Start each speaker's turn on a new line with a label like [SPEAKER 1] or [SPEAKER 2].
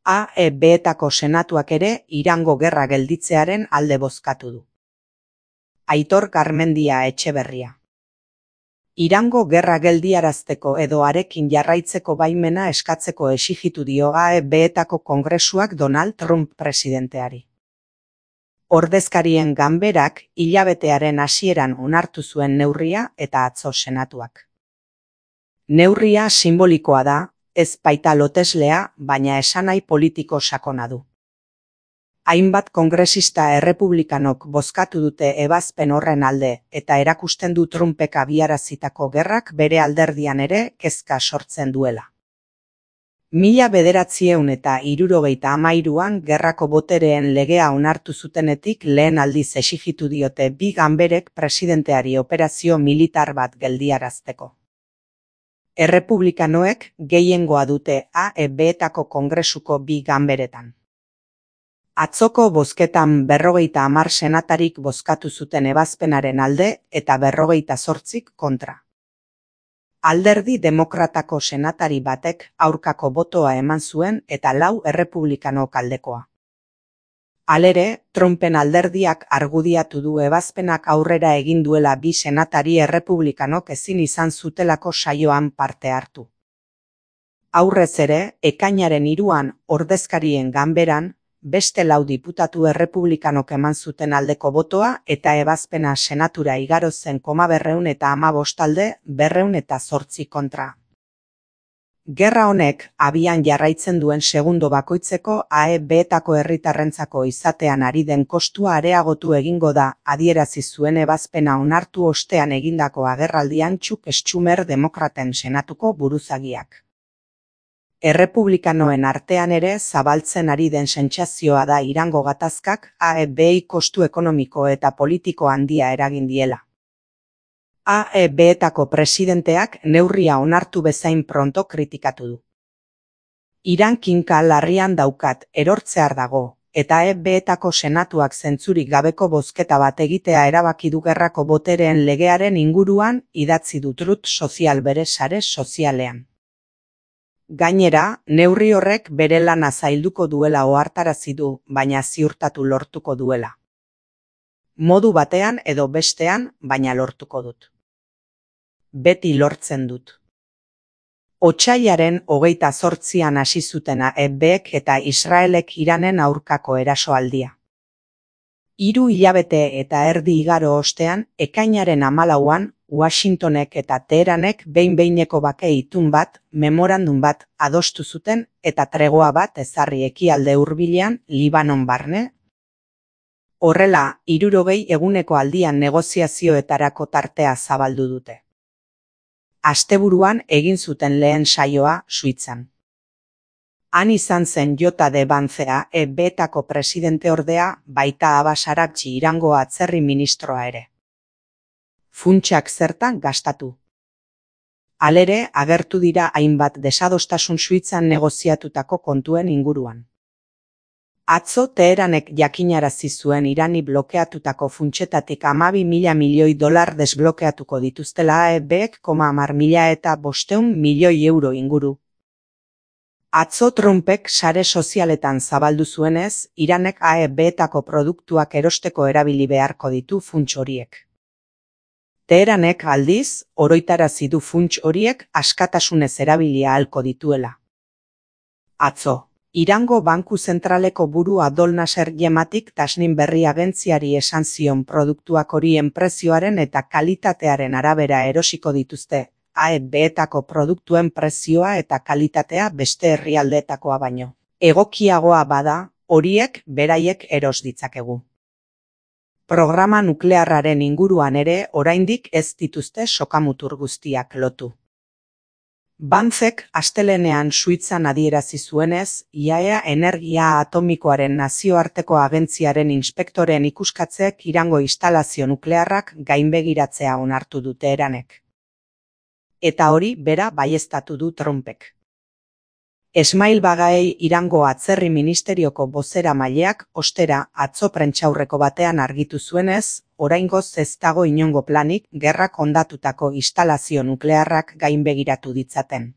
[SPEAKER 1] AEB-etako senatuak ere Irango gerra gelditzearen alde bozkatu du. Aitor Garmendia Etxeberria. Irango gerra geldiarazteko edo harekin jarraitzeko baimena eskatzeko exijitu dio AEB-etako kongresuak Donald Trump presidenteari. Ordezkarien ganberak hilabetearen hasieran onartu zuen neurria eta atzo senatuak. Neurria sinbolikoa da, ez baita loteslea, baina esanahi politiko sakona du. Hainbat kongresista errepublikanok bozkatu dute ebazpen horren alde eta erakusten du Trumpek abiarazitako gerrak bere alderdian ere kezka sortzen duela. 1973an gerrako botereen legea onartu zutenetik lehen aldiz exijitu diote bi ganberek presidenteari operazio militar bat geldiarazteko. Errepublikanoek gehiengoa dute AEB-etako kongresuko bi ganberetan. Atzoko bozketan 50 senatarik bozkatu zuten ebazpenaren alde eta 58 kontra. Alderdi demokratako senatari batek aurkako botoa eman zuen eta 4 errepublikanok aldekoa. Halere, Trumpen alderdiak argudiatu du ebazpenak aurrera egin duela bi senatari errepublikanok ezin izan zutelako saioan parte hartu. Aurrez ere, ekainaren 3an ordezkarien ganberan, beste 4 diputatu errepublikanok eman zuten aldeko botoa eta ebazpena senatura igaro zen 215 alde 208 kontra. Gerra honek abian jarraitzen duen segundo bakoitzeko AEB-etako herritarrentzako izatean ari den kostua areagotu egingo da, adierazi zuen ebazpena onartu ostean egindako agerraldian Chuck Schumer demokraten senatuko buruzagiak. Errepublikanoen artean ere zabaltzen ari den sentsazioa da Irango gatazkak AEB-i kostu ekonomiko eta politiko handia eragin diela. AEB-etako presidenteak neurria onartu bezain pronto kritikatu du. Iran kinka larrian daukat, erortzear dago, eta AEB-etako senatuak zentzurik gabeko bozketa bat egitea erabaki du gerrako botereen legearen inguruan, idatzi du Truth Social bere sare sozialean. Gainera, neurri horrek bere lana zailduko duela ohartarazi du, baina ziurtatu lortuko duela. Modu batean edo bestean, baina lortuko dut. Beti lortzen dut. Otsailaren 28an hasi zuten AEB-ek eta Israelek Iranen aurkako erasoaldia. 3 hilabete eta erdi igaro ostean, ekainaren 14an, Washingtonek eta Teheranek behin-behineko bake itun bat, memorandum bat adostu zuten eta tregoa bat ezarri ekialde hurbilean Libanon barne. Horrela, 60 eguneko aldian negoziazioetarako tartea zabaldu dute. Asteburuan egin zuten lehen saioa Suitzan. Han izan zen Jota de Bancea AEB-etako presidenteordea, baita Abbas Araqchi Irango atzerri ministroa ere. Funtsak zertan gastatu. Halere, agertu dira hainbat desadostasun Suitzan negoziatutako kontuen inguruan. Atzo Teheranek jakinarazi zuen Irani blokeatutako funtsetatik 12.000 milioi dolar desblokeatuko dituztela AEB-ek 10.000 eta 500 milioi euro inguru. Atzo Trumpek sare sozialetan zabaldu zuenez, Iranek AEB-etako produktuak erosteko erabili beharko ditu funts horiek. Teheranek aldiz, oroitarazi du funts horiek askatasunez erabili ahalko dituela. Atzo, Irango Banku Zentraleko buru Abdol Nasser Yematik Tasnim Berri agentziari esan zion produktuak horien prezioaren eta kalitatearen arabera erosiko dituzte, AEB-etako produktuen prezioa eta kalitatea beste herrialdeetakoa baino. Egokiagoa bada, horiek beraiek eros ditzakegu. Programa nuklearraren inguruan ere oraindik ez dituzte sokamutur guztiak lotu. Bancek astelehenean Suitzan adierazi zuenez, IAEA Energia Atomikoaren nazioarteko agentziaren inspektoreen ikuskatzek Irango instalazio nuklearrak gainbegiratzea onartu dute Teheranek. Eta hori bera baieztatu du Trumpek. Esmail Bagaei Irango atzerri ministerioko bozeramaileak ostera atzo prentsaurreko batean argitu zuenez, oraingoz ez dago inongo planik gerrak hondatutako instalazio nuklearrak gainbegiratu ditzaten.